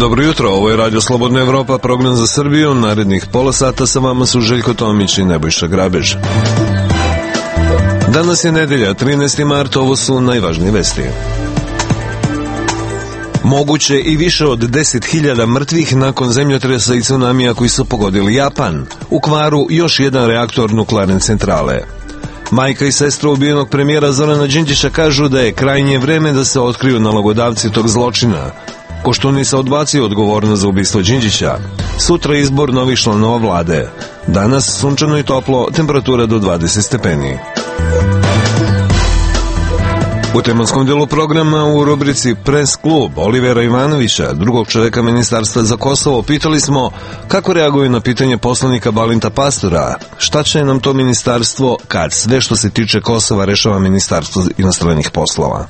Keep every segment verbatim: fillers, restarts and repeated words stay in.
Dobro jutro, ovo je Radio Slobodna Evropa, program za Srbiju. Narednih pola sata sa vama su Željko Tomić i Nebojša Grabež. Danas je nedelja, trinaesti mart, ovo su najvažnije vesti. Moguće i više od deset hiljada mrtvih nakon zemljotresa i tsunamija koji su pogodili Japan. U kvaru još jedan reaktor nuklearne centrale. Majka i sestra ubijenog premijera Zorana Đinđića kažu da je krajnje vreme da se otkriju nalogodavci tog zločina. Koštunica odbacio odgovornost za ubistvo Đinđića. Sutra izbor novih članova vlade. Danas sunčano i toplo, temperatura do dvadeset stepeni. U tematskom delu programa u rubrici Press klub Olivera Ivanovića, drugog čoveka Ministarstva za Kosovo, pitali smo kako reaguju na pitanje poslanika Balinta Pastora. Šta će nam to ministarstvo kad sve što se tiče Kosova rešava Ministarstvo inostranih poslova?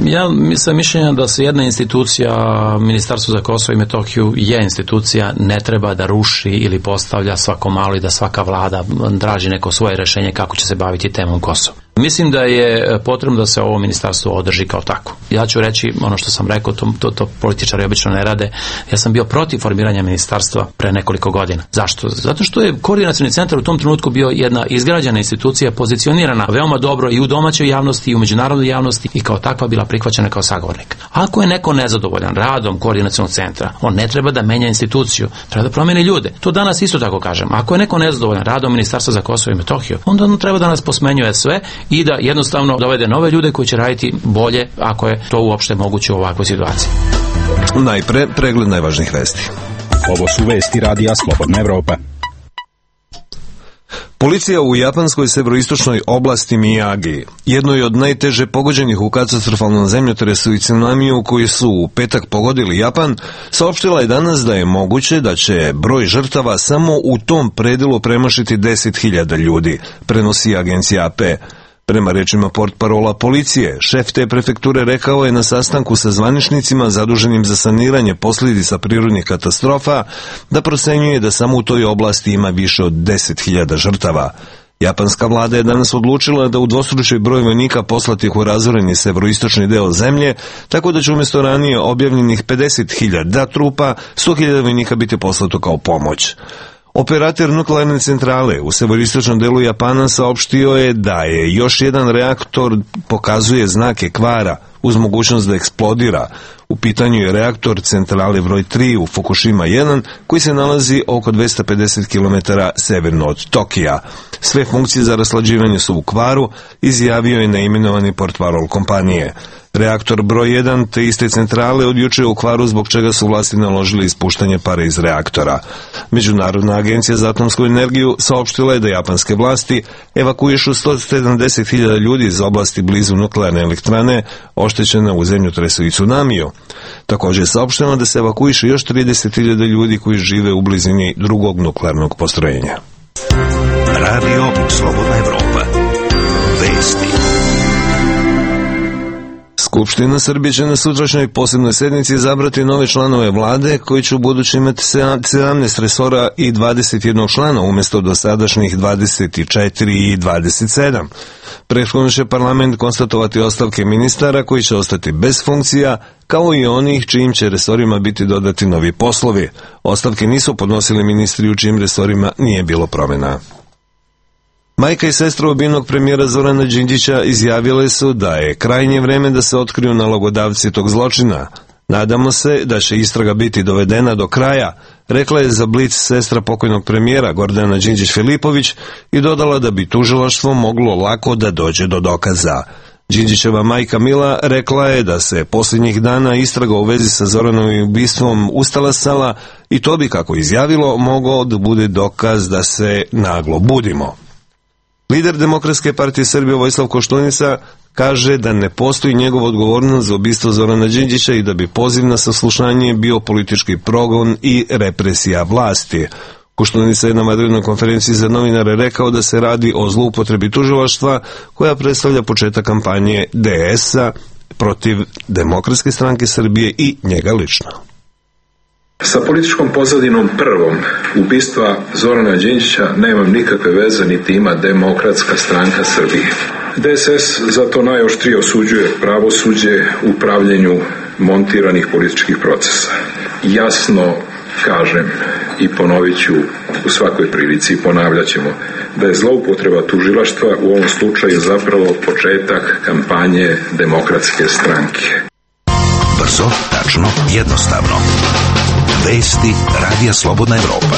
Ja sam mišljenja da se jedna institucija, Ministarstvo za Kosovo i Metohiju, je institucija, ne treba da ruši ili postavlja svako malo i da svaka vlada traži neko svoje rešenje kako će se baviti temom Kosova. Mislim da je potrebno da se ovo ministarstvo održi kao tako. Ja ću reći ono što sam rekao, to, to, to političari obično ne rade. Ja sam bio protiv formiranja ministarstva pre nekoliko godina. Zašto? Zato što je koordinacioni centar u tom trenutku bio jedna izgrađena institucija, pozicionirana veoma dobro i u domaćoj javnosti i u međunarodnoj javnosti i kao takva bila prihvaćena kao sagovornik. Ako je neko nezadovoljan radom koordinacionog centra, on ne treba da menja instituciju, treba da promeni ljude. To danas isto tako kažem. Ako je neko nezadovoljan radom Ministarstva za Kosovo i Metohiju, onda on treba da nas posmenjuje sve i da jednostavno dovede nove ljude koji će raditi bolje, ako je to uopšte moguće u ovakvoj situaciji. Najpre, pregled najvažnijih vesti. Ovo su vesti Radija Slobodna Evropa. Policija u japanskoj severoistočnoj oblasti Miyagi, jednoj od najteže pogođenih u katastrofalnom zemljotresu i tsunamiju koji su u petak pogodili Japan, saopštila je danas da je moguće da će broj žrtava samo u tom predelu premašiti deset hiljada ljudi, prenosi agencija A P. Prema rečima portparola policije, šef te prefekture rekao je na sastanku sa zvaničnicima zaduženim za saniranje posljedica prirodnih katastrofa da procenjuje da samo u toj oblasti ima više od deset hiljada žrtava. Japanska vlada je danas odlučila da udvostruči broj vojnika poslatih u razoreni severoistočni deo zemlje, tako da će umjesto ranije objavljenih pedeset hiljada trupa, sto hiljada vojnika biti poslato kao pomoć. Operator nuklearne centrale u severoistočnom delu Japana saopštio je da je još jedan reaktor pokazuje znake kvara uz mogućnost da eksplodira. U pitanju je reaktor centrale broj tri u Fukushima jedan koji se nalazi oko dvesta pedeset kilometara severno od Tokija. Sve funkcije za raslađivanje su u kvaru, izjavio je neimenovani portparol kompanije. Reaktor broj jedan te iste centrale od juče u kvaru, zbog čega su vlasti naložili ispuštanje pare iz reaktora. Međunarodna agencija za atomsku energiju saopštila je da japanske vlasti evakuišu sto sedamdeset hiljada ljudi iz oblasti blizu nuklearne elektrane oštećene u zemljotresu i tsunamiju. Također je saopšteno da se evakuiše još trideset hiljada ljudi koji žive u blizini drugog nuklearnog postrojenja. Radio Slobodna Evropa. Vesti. Skupština Srbije će na sutrašnjoj posebnoj sednici izabrati nove članove vlade koji će u budući imati sedamnaest resora i dvadeset jedan člana umjesto dosadašnjih dvadeset četiri i dvadeset sedam. Prethodno će parlament konstatovati ostavke ministara koji će ostati bez funkcija, kao i onih čijim će resorima biti dodati novi poslovi. Ostavke nisu podnosili ministri u čijim resorima nije bilo promjena. Majka i sestra ubijenog premijera Zorana Đinđića izjavile su da je krajnje vreme da se otkriju nalogodavci tog zločina. Nadamo se da će istraga biti dovedena do kraja, rekla je za Blic sestra pokojnog premijera Gordana Đinđić-Filipović i dodala da bi tužilaštvo moglo lako da dođe do dokaza. Đinđićeva majka Mila rekla je da se posljednjih dana istraga u vezi sa Zoranovim ubistvom ustalasala i to bi, kako izjavilo, mogao da bude dokaz da se naglo budimo. Lider Demokratske partije Srbije Vojislav Koštunica kaže da ne postoji njegova odgovornost za ubistvo Zorana Đinđića i da bi poziv na saslušanje bio politički progon i represija vlasti. Koštunica je na vanrednoj konferenciji za novinare rekao da se radi o zloupotrebi tužilaštva koja predstavlja početak kampanje D S-a protiv Demokratske stranke Srbije i njega lično. Sa političkom pozadinom prvom ubistva Zorana Đinđića nemam nikakve veze, niti ima Demokratska stranka Srbije. D S S zato najoštrije osuđuje pravosuđe u upravljanju montiranih političkih procesa. Jasno kažem i ponovit ću u svakoj prilici i ponavljat ćemo da je zloupotreba tužilaštva u ovom slučaju zapravo početak kampanje Demokratske stranke. Brzo, tačno, jednostavno. Vesti Radija Slobodna Evropa.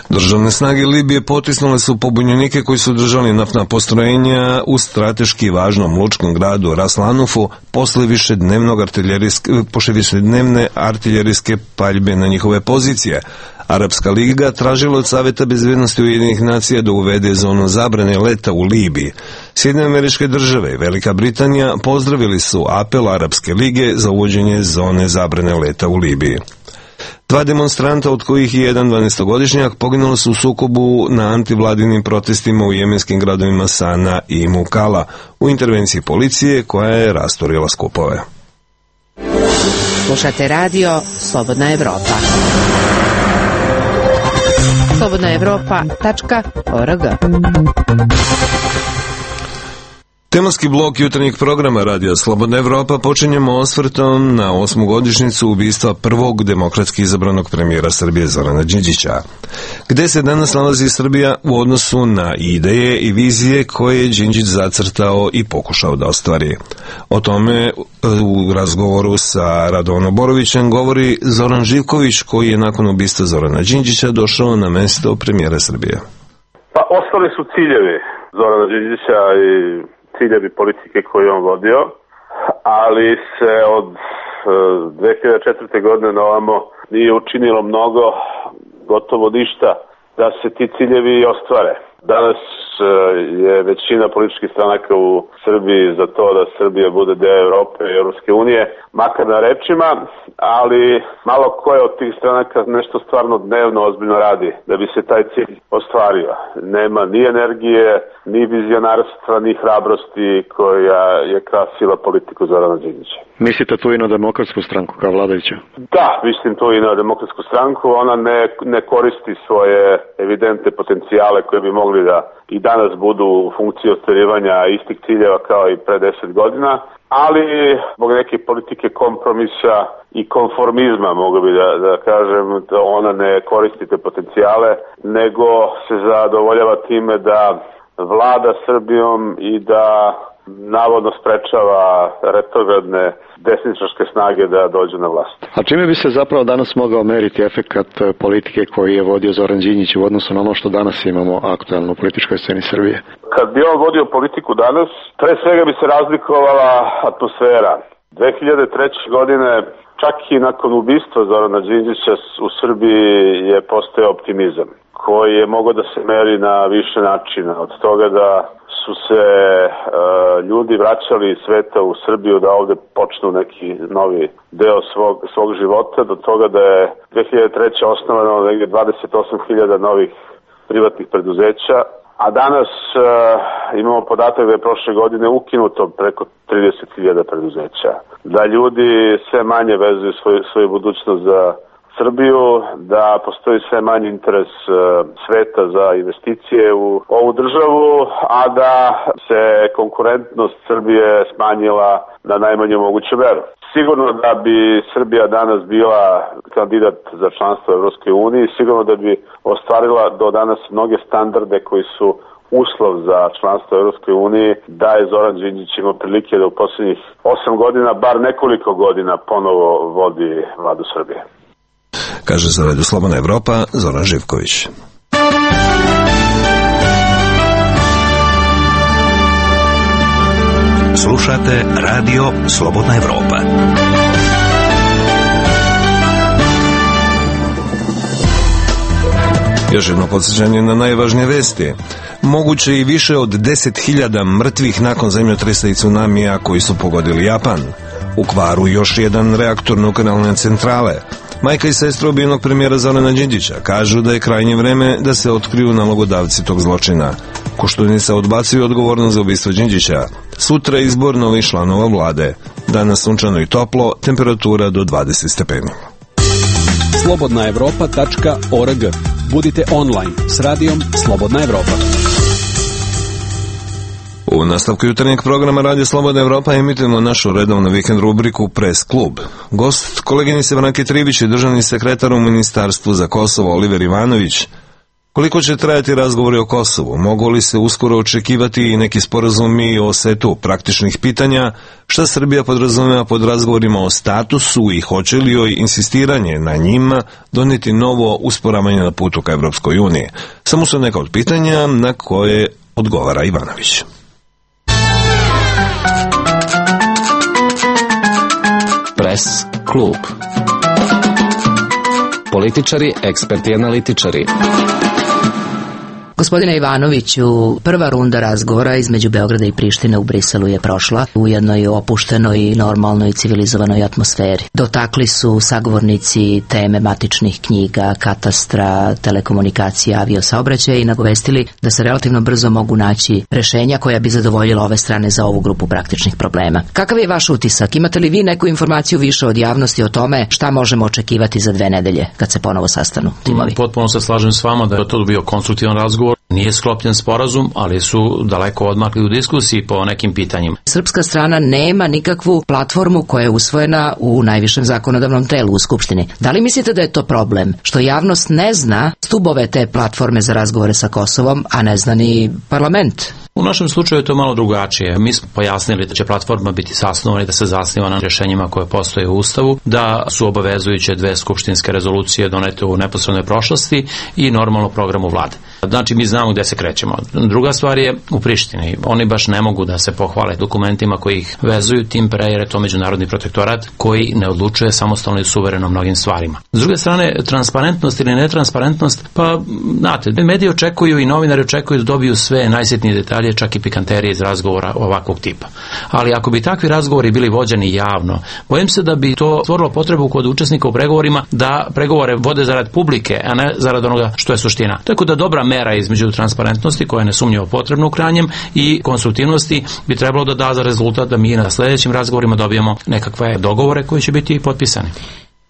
Državne snage Libije potisnule su pobunjenike koji su držali naftna postrojenja u strateški važnom lučkom gradu Ras Lanufu posle višednevnog artiljerijske, posle višednevne artiljerijske paljbe na njihove pozicije. Arapska liga tražila od Saveta bezbednosti Ujedinjenih nacija da uvede zonu zabrane leta u Libiji. Sjedinjene Američke Države i Velika Britanija pozdravili su apel Arapske lige za uvođenje zone zabrane leta u Libiji. Dva demonstranta, od kojih je jedan dvanaestogodišnjak, poginuli su u sukobu na antivladinim protestima u jemenskim gradovima Sana i Mukala u intervenciji policije koja je rasturila skupove. Slušate radio Slobodna Evropa. slobodna evropa tačka org. Tematski blok jutarnjeg programa Radija Slobodna Evropa počinjemo osvrtom na osmogodišnjicu ubistva prvog demokratski izabranog premijera Srbije Zorana Đinđića. Gde se danas nalazi Srbija u odnosu na ideje i vizije koje je Đinđić zacrtao i pokušao da ostvari? O tome u razgovoru sa Radovanom Borovićem govori Zoran Živković, koji je nakon ubistva Zorana Đinđića došao na mesto premijera Srbije. Pa ostali su ciljevi Zorana Đinđića i ciljevi politike koju on vodio, ali se od dve hiljade četvrte. godine na ovamo nije učinilo mnogo, gotovo ništa, da se ti ciljevi ostvare. Danas je većina političkih stranaka u Srbiji za to da Srbija bude deo Evrope i Europske unije, makar na rečima, ali malo koje od tih stranaka nešto stvarno dnevno ozbiljno radi da bi se taj cilj ostvario. Nema ni energije, ni vizionarstva, ni hrabrosti koja je krasila politiku Zorana Đinđića. Mislite tu i na Demokratsku stranku kao vladajuća? Da, mislim tu i na Demokratsku stranku. Ona ne, ne koristi svoje evidentne potencijale koje bi mogli da i danas budu u funkciji ostvarivanja istih ciljeva kao i pre deset godina, ali zbog neke politike kompromisa i konformizma, mogu bi da, da kažem, da ona ne koristi te potencijale, nego se zadovoljava time da vlada Srbijom i da navodno sprečava retrogradne desničarske snage da dođu na vlast. A čime bi se zapravo danas mogao meriti efekat politike koji je vodio Zoran Đinđić u odnosu na ono što danas imamo aktualno u političkoj sceni Srbije? Kad bi on vodio politiku danas, pre svega bi se razlikovala atmosfera. dve hiljade treće. godine, čak i nakon ubistva Zorana Đinđića, u Srbiji je postojao optimizam koji je mogao da se meri na više načina. Od toga da su se e, ljudi vraćali iz sveta u Srbiju da ovde počnu neki novi deo svog, svog života, do toga da je dve hiljade treće. osnovano negdje dvadeset osam hiljada novih privatnih preduzeća, a danas e, imamo podatak da je prošle godine ukinuto preko trideset hiljada preduzeća. Da ljudi sve manje vezuju svoj, svoju budućnost za Srbiju, da postoji sve manji interes sveta za investicije u ovu državu, a da se konkurentnost Srbije smanjila na najmanju moguću meru. Sigurno da bi Srbija danas bila kandidat za članstvo u Evropskoj uniji, sigurno da bi ostvarila do danas mnoge standarde koji su uslov za članstvo u Evropskoj uniji, da je Zoran Đinđić imao prilike da u posljednjih osam godina, bar nekoliko godina, ponovo vodi vladu Srbije. Kaže za Radio Slobodna Evropa Zoran Živković. Slušate Radio Slobodna Evropa. Još jedno podsjećanje na najvažnije vesti. Moguće i više od deset hiljada mrtvih nakon zemljotresa i tsunamija koji su pogodili Japan. U kvaru još jedan reaktor nuklearne centrale. Majka i sestra ubijenog premijera Zorana Đinđića kažu da je krajnje vreme da se otkriju nalogodavci tog zločina. Koštunica odbacuju odgovornost za ubistvo Đinđića. Sutra izbor novih članova vlade. Danas sunčano i toplo, temperatura do dvadeset stepeni. slobodna evropa tačka org. Budite online s radijom Slobodna Evropa. U nastavku jutarnjeg programa Radio Slobodna Evropa emitujemo našu redovnu vikend rubriku Press klub. Gost koleginice Branke Tribić je državni sekretar u Ministarstvu za Kosovo Oliver Ivanović. Koliko će trajati razgovori o Kosovu? Mogu li se uskoro očekivati i neki sporazumi o setu praktičnih pitanja? Šta Srbija podrazumeva pod razgovorima o statusu i hoće li joj insistiranje na njima doneti novo usporavanje na putu ka Evropskoj uniji? Samo su neka od pitanja na koje odgovara Ivanović. Press klub. Političari, eksperti i analitičari. Gospodine Ivanoviću, prva runda razgovora između Beograda i Prištine u Briselu je prošla u jednoj opuštenoj, normalnoj, civilizovanoj atmosferi. Dotakli su sagovornici teme matičnih knjiga, katastra, telekomunikacija, aviosaobraćaja i nagovestili da se relativno brzo mogu naći rešenja koja bi zadovoljila ove strane za ovu grupu praktičnih problema. Kakav je vaš utisak? Imate li vi neku informaciju više od javnosti o tome šta možemo očekivati za dve nedelje kad se ponovo sastanu timovi? Potpuno se slažem s vama da je to bio konstruktivan razgovor. Nije sklopljen sporazum, ali su daleko odmakli u diskusiji po nekim pitanjima. Srpska strana nema nikakvu platformu koja je usvojena u najvišem zakonodavnom telu u Skupštini. Da li mislite da je to problem? Što javnost ne zna stubove te platforme za razgovore sa Kosovom, a ne zna ni parlament? U našem slučaju je to malo drugačije. Mi smo pojasnili da će platforma biti sasnovana i da se zasniva na rješenjima koje postoje u Ustavu, da su obavezujuće dve skupštinske rezolucije donete u neposrednoj prošlosti i normalno programu vlade. Znači mi znamo gde se krećemo. Druga stvar je u Prištini. Oni baš ne mogu da se pohvale dokumentima koji ih vezuju, tim pre jer je to međunarodni protektorat koji ne odlučuje samostalno i suvereno mnogim stvarima. S druge strane, transparentnost ili netransparentnost, pa znate, mediji očekuju i novinari očekuju da dobiju sve najsitnije detalje, čak i pikanterije iz razgovora ovakvog tipa. Ali ako bi takvi razgovori bili vođeni javno, bojim se da bi to stvorilo potrebu kod učesnika u pregovorima da pregovore vode zarad publike, a ne zarad onoga što je suština. Tako da dobra mera između transparentnosti, koja je nesumnjivo potrebna u krajnjem, i konstruktivnosti bi trebalo da da za rezultat da mi na sljedećim razgovorima dobijemo nekakve dogovore koji će biti potpisani.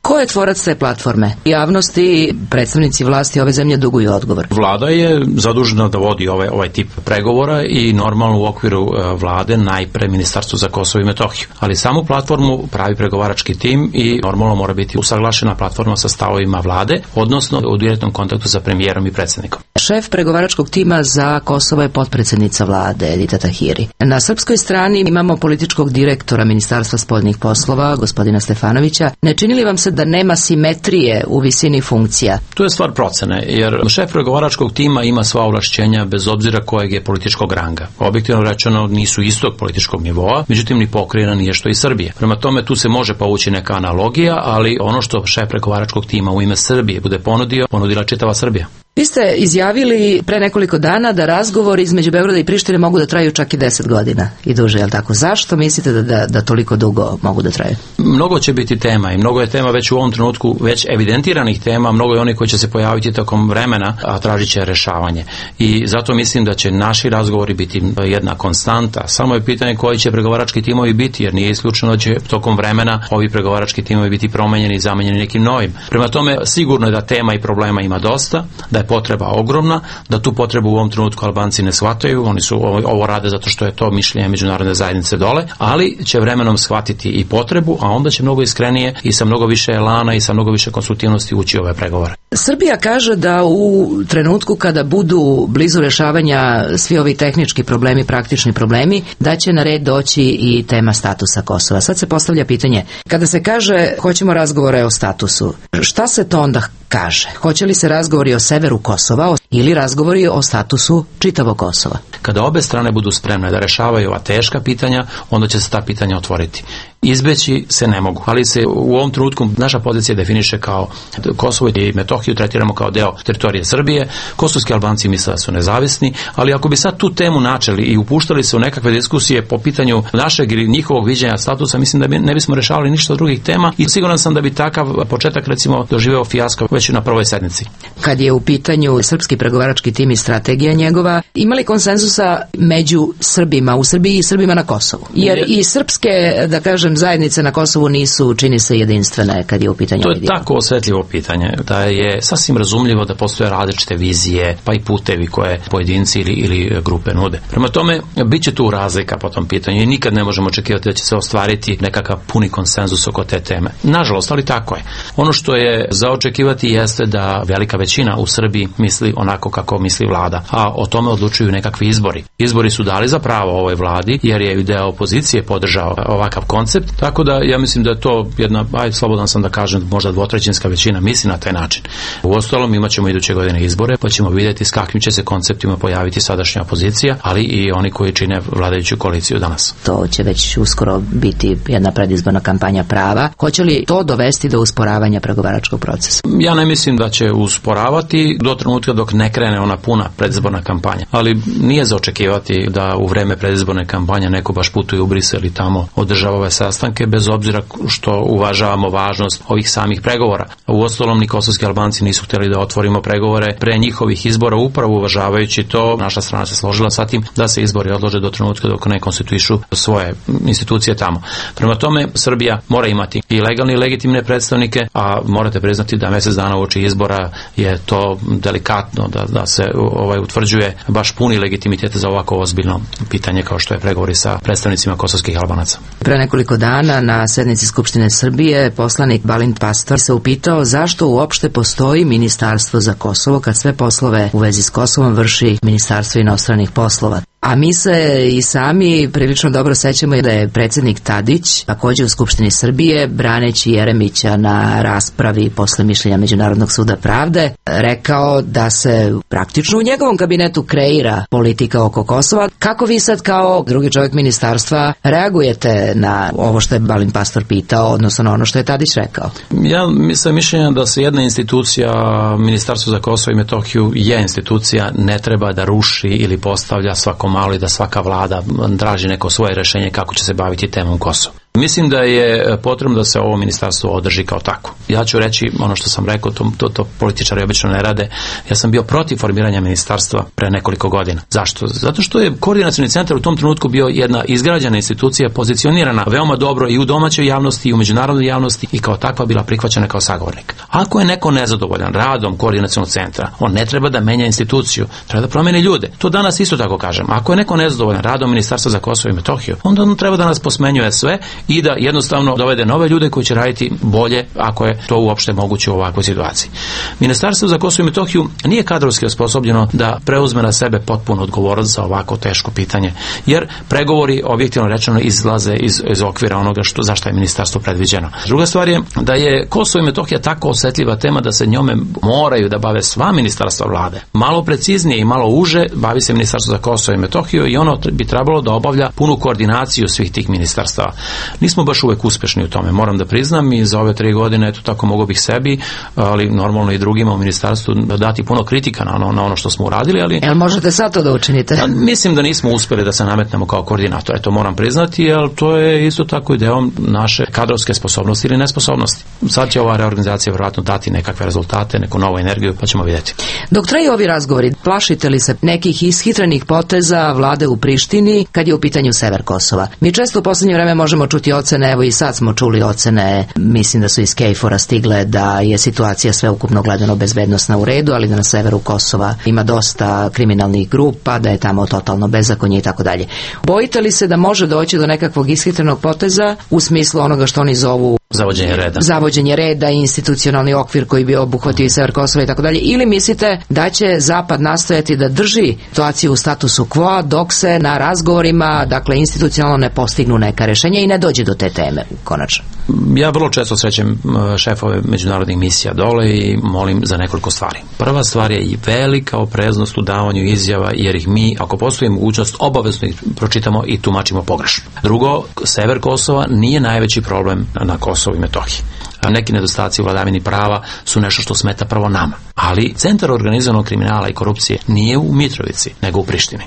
Ko je tvorac te platforme? Javnosti i predstavnici vlasti ove zemlje duguju odgovor. Vlada je zadužena da vodi ovaj, ovaj tip pregovora i normalno u okviru vlade najpre Ministarstvo za Kosovo i Metohiju. Ali samu platformu pravi pregovarački tim i normalno mora biti usaglašena platforma sa stavovima vlade, odnosno u direktnom kontaktu sa premijerom i predsjednikom. Šef pregovaračkog tima za Kosovo je potpredsjednica vlade Edita Tahiri. Na srpskoj strani imamo političkog direktora Ministarstva spoljnih poslova, gospodina Stefanovića. Ne čini li vam se da nema simetrije u visini funkcija? To je stvar procene, jer šef pregovaračkog tima ima sva ovlašćenja bez obzira kojeg je političkog ranga. Objektivno rečeno nisu istog političkog nivoa, međutim ni pokrajina nije što i Srbije. Prema tome tu se može povući neka analogija, ali ono što šef pregovaračkog tima u ime Srbije bude ponudio, ponudila čitava Srbija. Vi ste izjavili pre nekoliko dana da razgovori između Beograda i Prištine mogu da traju čak i deset godina i duže, je li tako? Zašto mislite da, da, da toliko dugo mogu da traju? Mnogo će biti tema i mnogo je tema već u ovom trenutku, već evidentiranih tema, mnogo je onih koji će se pojaviti tokom vremena, a tražit će rešavanje. I zato mislim da će naši razgovori biti jedna konstanta. Samo je pitanje koji će pregovarački timovi biti, jer nije isključeno da će tokom vremena ovi pregovarački timovi biti promenjeni i zamenjeni nekim novim. Prema tome, sigurno je da tema i problema ima dosta, da je potreba ogromna, da tu potrebu u ovom trenutku Albanci ne shvataju, oni su ovo, ovo rade zato što je to mišljenje međunarodne zajednice dole, ali će vremenom shvatiti i potrebu, a onda će mnogo iskrenije i sa mnogo više elana i sa mnogo više konstruktivnosti ući ove pregovore. Srbija kaže da u trenutku kada budu blizu rešavanja svi ovi tehnički problemi, praktični problemi, da će na red doći i tema statusa Kosova. Sad se postavlja pitanje, kada se kaže hoćemo razgovore o statusu, šta se to onda kaže? Hoće li se razgovori o severu Kosova ili razgovori o statusu čitavog Kosova? Kada obe strane budu spremne da rešavaju ova teška pitanja, onda će se ta pitanja otvoriti. Izbeći se ne mogu, ali se u ovom trenutku naša pozicija definiše kao Kosovo i Metohiju tretiramo kao deo teritorije Srbije, kosovski Albanci misle da su nezavisni, ali ako bi sad tu temu načeli i upuštali se u nekakve diskusije po pitanju našeg ili njihovog viđenja statusa, mislim da bi, ne bismo rešavali ništa od drugih tema i siguran sam da bi takav početak recimo doživeo fijasko već već na prvoj sednici. Kad je u pitanju srpski pregovarački tim i strategija njegova, ima li konsenzusa među Srbima u Srbiji i Srbima na Kosovu? Jer i srpske, da kažem, zajednice na Kosovu nisu, čini se, jedinstvene kad je u pitanju. To je tako osjetljivo pitanje da je sasvim razumljivo da postoje različite vizije, pa i putevi koje pojedinci ili, ili grupe nude. Prema tome, bit će tu razlika po tom pitanju i nikad ne možemo očekivati da će se ostvariti nekakav puni konsenzus oko te teme. Nažalost, ali tako je. Ono što je za očekivati jeste da velika većina u Srbiji misli onako kako misli vlada, a o tome odlučuju nekakvi izbori. Izbori su dali za pravo ovoj vladi jer je deo opozicije podržao ovakav koncept, tako da ja mislim da je to jedna, aj slobodan sam da kažem, možda dvotrećinska većina misli na taj način. Uostalom imat ćemo iduće godine izbore, pa ćemo vidjeti s kakvim će se konceptima pojaviti sadašnja opozicija, ali i oni koji čine vladajuću koaliciju danas. To će već uskoro biti jedna predizborna kampanja prava. Hoće li to dovesti do usporavanja pregovaračkog procesa? Ja ne mislim da će usporavati do trenutka dok ne krene ona puna predizborna kampanja, ali nije za očekivati da u vreme predizborne kampanje neko baš putuje u Brisel i tamo održava ove sastanke, bez obzira što uvažavamo važnost ovih samih pregovora. Uostalom, ni kosovski Albanci nisu htjeli da otvorimo pregovore pre njihovih izbora, upravo uvažavajući to. Naša strana se složila sa tim da se izbori odlože do trenutka dok ne konstituišu svoje institucije tamo. Prema tome, Srbija mora imati i legalne i legitimne predstavnike, a morate priznati da mjesec dana uoči izbora je to delikatno da, da se ovaj utvrđuje baš puni legitimitet za ovako ozbiljno pitanje kao što je pregovori sa predstavnicima kosovskih Albanaca. Pre nekoliko dana na sednici Skupštine Srbije poslanik Balint Pastor se upitao zašto uopšte postoji Ministarstvo za Kosovo kad sve poslove u vezi s Kosovom vrši Ministarstvo inostranih poslova. A mi se i sami prilično dobro sećamo da je predsjednik Tadić, također u Skupštini Srbije, braneći Jeremića na raspravi posle mišljenja Međunarodnog suda pravde, rekao da se praktično u njegovom kabinetu kreira politika oko Kosova. Kako vi sad kao drugi čovjek ministarstva reagujete na ovo što je Balint Pastor pitao, odnosno na ono što je Tadić rekao? Ja sam mišljenja da se jedna institucija, Ministarstvo za Kosovo i Metohiju, je institucija, ne treba da ruši ili postavlja svakom malo i da svaka vlada traži neko svoje rješenje kako će se baviti temom Kosova. Mislim da je potrebno da se ovo ministarstvo održi kao tako. Ja ću reći ono što sam rekao, to, to, to političari obično ne rade. Ja sam bio protiv formiranja ministarstva pre nekoliko godina. Zašto? Zato što je koordinacioni centar u tom trenutku bio jedna izgrađena institucija, pozicionirana veoma dobro i u domaćoj javnosti i u međunarodnoj javnosti i kao takva bila prihvaćena kao sagovornik. Ako je neko nezadovoljan radom koordinacionog centra, on ne treba da menja instituciju, treba da promeni ljude. To danas isto tako kažem. Ako je neko nezadovoljan radom Ministarstva za Kosovo i Metohiju, onda on treba da nas posmenjuje sve i da jednostavno dovede nove ljude koji će raditi bolje ako je to uopšte moguće u ovakvoj situaciji. Ministarstvo za Kosovo i Metohiju nije kadrovski osposobljeno da preuzme na sebe potpuno odgovornost za ovako teško pitanje, jer pregovori objektivno rečeno izlaze iz, iz okvira onoga što, za što je ministarstvo predviđeno. Druga stvar je da je Kosovo i Metohija tako osjetljiva tema da se njome moraju da bave sva ministarstva vlade. Malo preciznije i malo uže bavi se Ministarstvo za Kosovo i Metohiju i ono bi trebalo da obavlja punu koordinaciju svih tih ministarstava. Nismo baš uvek uspešni u tome, moram da priznam, i za ove tri godine, eto tako mogu bih sebi, ali normalno i drugima u ministarstvu dati puno kritika na ono, na ono što smo uradili, ali... Jel možete sad to da učinite? A, mislim da nismo uspeli da se nametnemo kao koordinator, eto moram priznati, jer to je isto tako i deo naše kadrovske sposobnosti ili nesposobnosti. Sad će ova reorganizacija vjerojatno dati nekakve rezultate, neku novu energiju, pa ćemo vidjeti. Dok traju ovi razgovori, plašite li se nekih ishitrenih poteza vlade u Prištini kad je u pitanju sever Kosova? Mi često u posljednje vreme možemo čuti ocene, evo i sad smo čuli ocene, mislim da su iz Kejfora stigle da je situacija sveukupno gledano bezbednosna u redu, ali da na severu Kosova ima dosta kriminalnih grupa, da je tamo totalno bezakonje i tako dalje. Bojite li se da može doći do nekakvog ishitrenog poteza u smislu onoga što oni zovu Zavođenje reda. Zavođenje reda i institucionalni okvir koji bi obuhvatio i sever Kosova i tako dalje. Ili mislite da će Zapad nastojati da drži situaciju u statusu quo dok se na razgovorima, dakle institucionalno, ne postignu neka rješenja i ne dođe do te teme konačno? Ja vrlo često srećem šefove međunarodnih misija dole i molim za nekoliko stvari. Prva stvar je i velika opreznost u davanju izjava, jer ih mi, ako postoji mogućnost, obavezno ih pročitamo i tumačimo pogrešno. Drugo, sever Kosova nije najveći problem na Kosovu i Metohiji. Neki nedostaci u vladavini prava su nešto što smeta prvo nama. Ali centar organizovanog kriminala i korupcije nije u Mitrovici, nego u Prištini.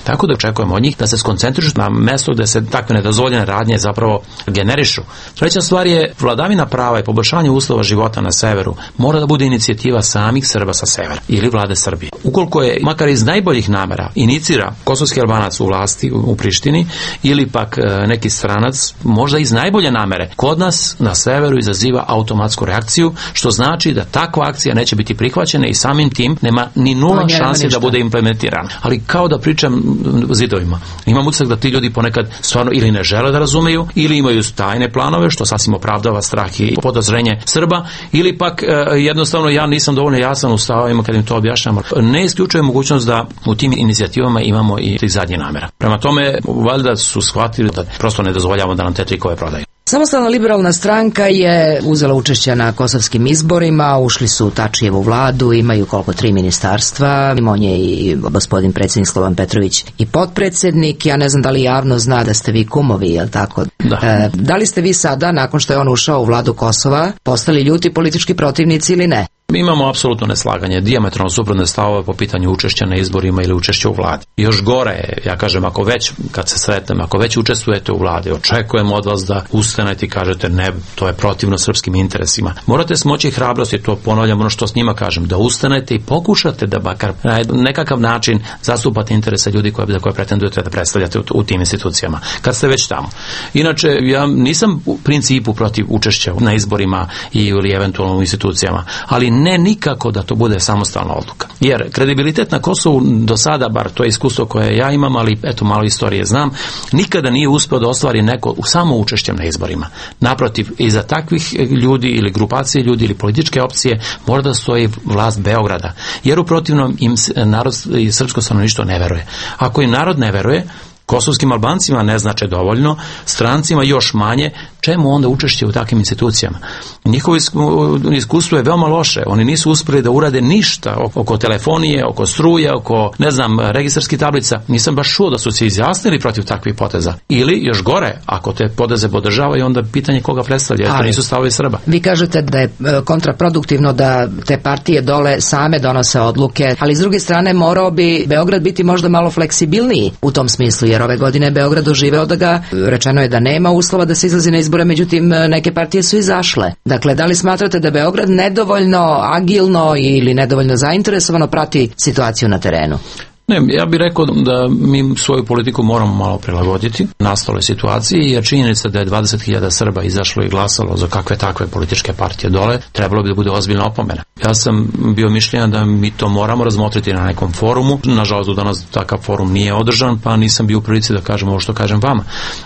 Tako da očekujemo od njih da se skoncentrišu na mesto gde se takve nedozvoljene radnje zapravo generišu. Treća stvar je vladavina prava i poboljšanje uslova života na severu mora da bude inicijativa samih Srba sa severa ili vlade Srbije. Ukoliko je, makar iz najboljih namera, inicira kosovski Albanac u vlasti u Prištini ili pak neki stranac, možda iz najbolje namere, kod nas na severu izaziva automatsku reakciju, što znači da takva akcija neće biti prihvaćena i samim tim nema ni nula šanse da bude implementirana. Ali kao da pričam zidovima. Imam utisak da ti ljudi ponekad stvarno ili ne žele da razumeju, ili imaju tajne planove, što sasvim opravdava strah i podozrenje Srba, ili pak e, jednostavno ja nisam dovoljno jasan u stavovima kad im to objašnjamo. Ne isključuje mogućnost da u tim inicijativama imamo i tih zadnjih namera. Prema tome, valjda su shvatili da prosto ne dozvoljavamo da nam te trikove prodaju. Samostalna liberalna stranka je uzela učešće na kosovskim izborima, ušli su u Tačijevu vladu, imaju koliko tri ministarstva, on je i gospodin predsjednik Slovan Petrović i potpredsjednik. Ja ne znam da li javno zna da ste vi kumovi, je li tako? Da. E, da li ste vi sada, nakon što je on ušao u vladu Kosova, postali ljuti politički protivnici ili ne? Mi imamo apsolutno neslaganje, dijametralno suprotne stavove po pitanju učešća na izborima ili učešća u vladi. Još gore je, ja kažem, ako već, kad se sretnem, ako već učestvujete u vladi, očekujemo od vas da ustanete i kažete ne, to je protivno srpskim interesima. Morate smoći hrabrosti, to ponavljam ono što s njima kažem, da ustanete i pokušate da bakar na nekakav način zastupate interese ljudi koje, za koje pretendujete da predstavljate u, u tim institucijama, kad ste već tamo. Inače, ja nisam u principu protiv učešća na izborima i ili eventualno u institucijama, ali ne nikako da to bude samostalna odluka. Jer kredibilitet na Kosovu do sada, bar to je iskustvo koje ja imam, ali eto malo istorije znam, nikada nije uspeo da ostvari neko samo učešćem na izborima. Naprotiv, iza takvih ljudi ili grupacije ljudi ili političke opcije mora da stoji vlast Beograda. Jer u protivnom im narod i srpsko stanovništvo ne veruje. Ako im narod ne veruje, kosovskim Albancima ne znače dovoljno, strancima još manje, čemu onda učešće u takvim institucijama? Njihovo iskustvo je veoma loše, oni nisu uspjeli da urade ništa oko telefonije, oko struje, oko, ne znam, registarskih tablica. Nisam baš čuo da su se izjasnili protiv takvih poteza. Ili, još gore, ako te poteze podržavaju, onda pitanje koga predstavlja, to nisu stavovi Srba. Vi kažete da je kontraproduktivno da te partije dole same donose odluke, ali s druge strane morao bi Beograd biti možda malo fleksibilniji u tom smislu, jer ove godine Beograd doživeo da ga, rečeno je da nema uslova da se izlazi na izbore, međutim neke partije su izašle. Dakle, da li smatrate da Beograd nedovoljno agilno ili nedovoljno zainteresovano prati situaciju na terenu? Ne, ja bih rekao da mi svoju politiku moramo malo prilagoditi nastaloj situaciji, jer činjenica da je dvadeset hiljada Srba izašlo i glasalo za kakve takve političke partije dole, trebalo bi da bude ozbiljna opomena. Ja sam bio mišljenja da mi to moramo razmotriti na nekom forumu. Nažalost, do danas takav forum nije održan, pa nisam bio u prilici da kažem ovo što kažem vama.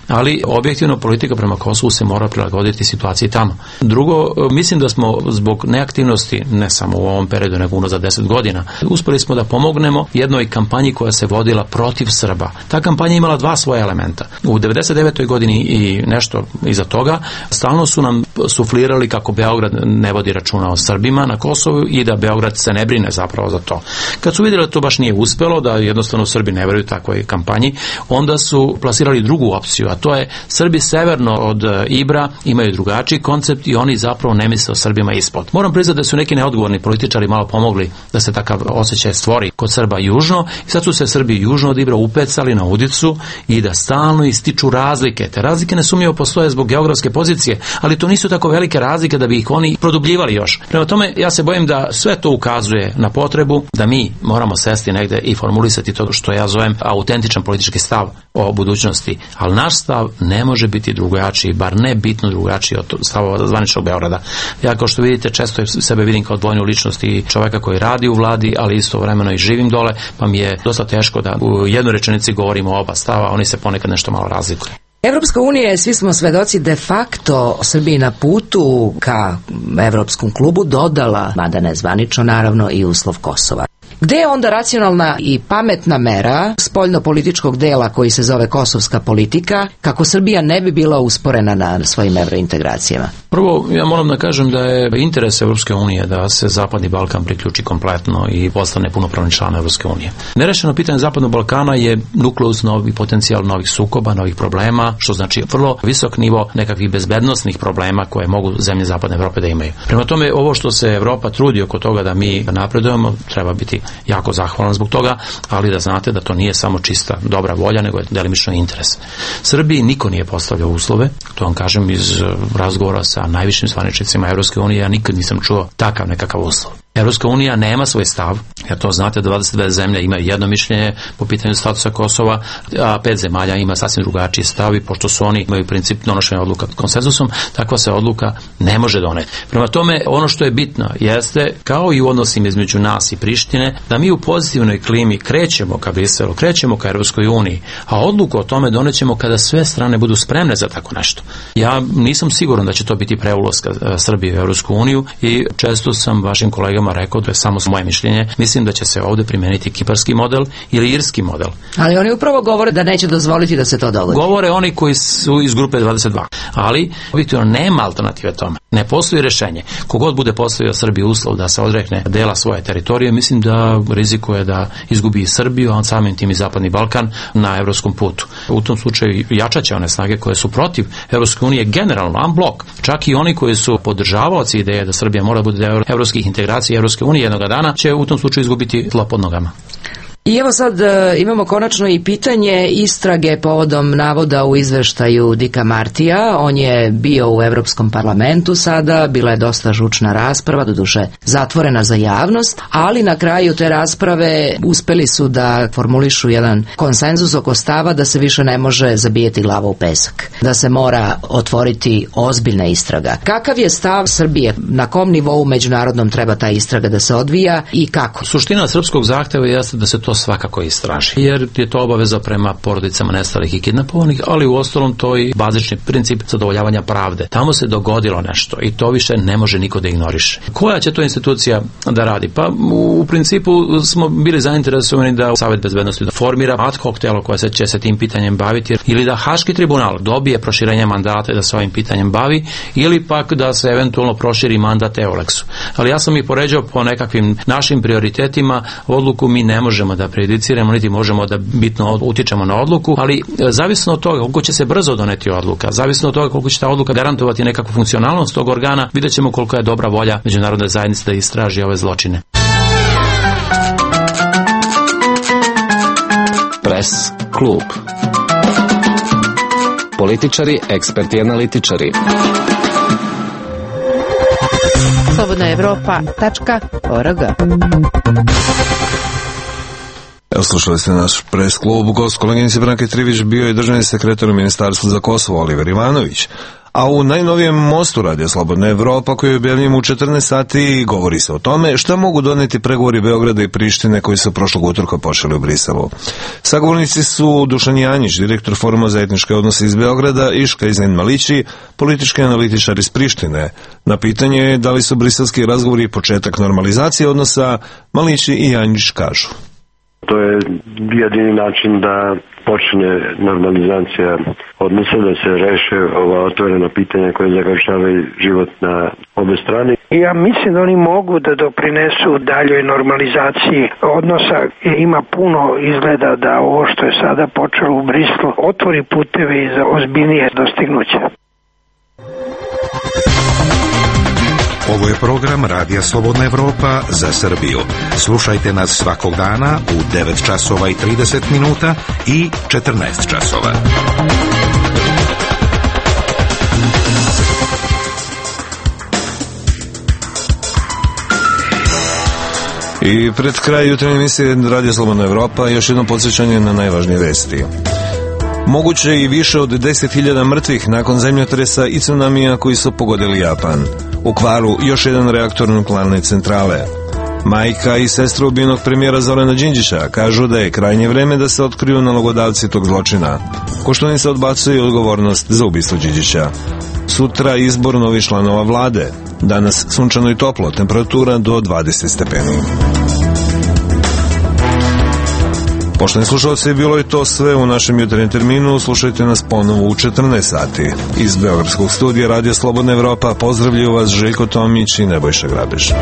Ali objektivno politika prema Kosovu se mora prilagoditi situaciji tamo. Drugo, mislim da smo zbog neaktivnosti, ne samo u ovom periodu, nego unazad deset godina, uspeli smo da pomognemo jednoj kampanji kampanji koja se vodila protiv Srba. Ta kampanja imala dva svoja elementa. U devedeset devetoj godini i nešto iza toga stalno su nam suflirali kako Beograd ne vodi računa o Srbima na Kosovu i da Beograd se ne brine zapravo za to. Kad su vidjeli da to baš nije uspelo, da jednostavno Srbi ne veruju takvoj kampanji, onda su plasirali drugu opciju, a to je Srbi severno od Ibra imaju drugačiji koncept i oni zapravo ne misle o Srbima ispod. Moram priznati da su neki neodgovorni političari malo pomogli da se takav osjećaj stvori kod Srba južno i sad su se Srbi južno od Ibra upecali na udicu i da stalno ističu razlike. Te razlike nesumnjivo postoje zbog geografske pozicije, ali to nisu tako velike razlike da bi ih oni produbljivali još. Prema tome, ja se bojim da sve to ukazuje na potrebu da mi moramo sesti negde i formulisati to što ja zovem autentičan politički stav o budućnosti, ali naš stav ne može biti drugačiji, bar ne bitno drugačiji od stavova zvaničnog Beograda. Ja, kao što vidite, često sebe vidim kao odvojnu ličnost i čoveka koji radi u vladi, ali istovremeno i živim dole, pa mi je dosta teško da u jednoj rečenici govorimo o oba stava, oni se ponekad nešto malo razlikuju. Evropska unija je, svi smo svedoci, de facto Srbiji na putu ka Evropskom klubu dodala, mada ne zvanično naravno, i uslov Kosova. Gde je onda racionalna i pametna mera spoljno-političkog dela koji se zove kosovska politika, kako Srbija ne bi bila usporena na svojim evrointegracijama? Prvo, ja moram da kažem da je interes Evropske unije da se Zapadni Balkan priključi kompletno i postane punopravni član Evropske unije. Nerešeno pitanje Zapadnog Balkana je nukleus novi potencijal novih sukoba, novih problema, što znači vrlo visok nivo nekakvih bezbednosnih problema koje mogu zemlje Zapadne Evrope da imaju. Prema tome, ovo što se Evropa trudi oko toga da mi napredujemo, treba biti jako zahvalan zbog toga, ali da znate da to nije samo čista dobra volja, nego je delimično interes. Srbiji niko nije postavljao uslove, to vam kažem iz razgovora sa najvišim zvaničnicima Evropske unije, ja nikad nisam čuo takav nekakav uslov. Evropska unija nema svoj stav, jer to znate, dvadeset dve zemlje imaju jedno mišljenje po pitanju statusa Kosova, a pet zemalja ima sasvim drugačiji stav i pošto su oni imaju princip donošenja odluka konsenzusom, takva se odluka ne može doneti. Prema tome, ono što je bitno jeste, kao i u odnosima između nas i Prištine, da mi u pozitivnoj klimi krećemo ka Briselu, krećemo ka Evropskoj uniji, a odluku o tome donećemo kada sve strane budu spremne za tako nešto. Ja nisam siguran da će to biti pre ulaska Srbije u Evropsku uniju i često sam vašim kolegama rekao, to je samo moje mišljenje, mislim da će se ovde primeniti kiparski model ili irski model. Ali oni upravo govore da neće dozvoliti da se to dogodi. Govore oni koji su iz grupe dvadeset dva, ali objektivno nema alternative tome. Ne postoji rešenje. Kogod bude postavio Srbiji uslov da se odrekne dela svoje teritorije, mislim da rizikuje da izgubi i Srbiju, a samim tim i Zapadni Balkan na evropskom putu. U tom slučaju jačaće one snage koje su protiv Evropske unije generalno, en blok. Čak i oni koji su podržavaoci ideje da Srbija mora bude deo evropskih integracija Evropske unije jednoga dana, će u tom slučaju izgubiti tlo pod nogama. I evo sad e, imamo konačno i pitanje istrage povodom navoda u izveštaju Dicka Martija. On je bio u Evropskom parlamentu sada, bila je dosta žučna rasprava, doduše zatvorena za javnost, ali na kraju te rasprave uspeli su da formulišu jedan konsenzus oko stava da se više ne može zabijeti glava u pesak, da se mora otvoriti ozbiljna istraga. Kakav je stav Srbije? Na kom nivou međunarodnom treba ta istraga da se odvija i kako? Suština srpskog zahteva jeste da se to svakako istraži, jer je to obaveza prema porodicama nestalih i kidnapovanih, ali u ostalom to i bazični princip zadovoljavanja pravde. Tamo se dogodilo nešto i to više ne može niko da ignoriše. Koja će to institucija da radi? Pa u principu smo bili zainteresovani da Savet bezbednosti da formira ad hoc telo koje se će se tim pitanjem baviti, ili da Haški tribunal dobije proširenje mandata i da se ovim pitanjem bavi, ili pak da se eventualno proširi mandat Euleksu. Ali ja sam ih poređao po nekakvim našim prioritetima, odluku mi ne možemo da prejudiciramo, niti možemo da bitno utičemo na odluku, ali zavisno od toga koliko će se brzo doneti odluka, zavisno od toga koliko će ta odluka garantovati nekakvu funkcionalnost tog organa, vidjet ćemo koliko je dobra volja međunarodne zajednice da istraži ove zločine. Pres klub. Političari, eksperti i analitičari. slobodna evropa tačka org. Evo, slušali ste naš pres klub. Gost koleginice Branke Trivić bio je državni sekretar u Ministarstvu za Kosovo Oliver Ivanović. A u najnovijem mostu Radija Slobodna Evropa koji objavljujemo u četrnaest sati govori se o tome šta mogu doneti pregovori Beograda i Prištine koji su prošlog utorka počeli u Briselu. Sagovornici su Dušan Janjić, direktor Foruma za etničke odnose iz Beograda, i Škajzen Malići, politički analitičar iz Prištine. Na pitanje da li su briselski razgovori početak normalizacije odnosa, Malići i Janjić kažu. To je jedini način da počne normalizacija odnosa, da se reše ova otvorena pitanja koje zagorčavaju život na obe strane. Ja mislim da oni mogu da doprinesu daljoj normalizaciji odnosa. Ima puno izgleda da ovo što je sada počelo u Brislu otvori puteve za ozbiljnije dostignuće. Ovo je program Radija Slobodna Evropa za Srbiju. Slušajte nas svakog dana u devet časova i trideset minuta i četrnaest časova. I pred kraj jutarnje emisije Radija Slobodna Evropa još jedno podsjećanje na najvažnije vesti. Moguće i više od deset hiljada mrtvih nakon zemljotresa i tsunamija koji su pogodili Japan. U kvaru još jedan reaktor nuklearne centrale. Majka i sestra ubijenog premijera Zorana Đinđića kažu da je krajnje vreme da se otkriju nalogodavci tog zločina. Koštunica odbacuje odgovornost za ubistvo Đinđića. Sutra izbor novih članova vlade. Danas sunčano i toplo, temperatura do dvadeset stepeni. Poštovani slušalci, bilo je to sve u našem jutarnjem terminu. Slušajte nas ponovo u četrnaest sati. Iz Beogradskog studija Radio Slobodna Evropa pozdravljaju vas Željko Tomić i Nebojša Grabež.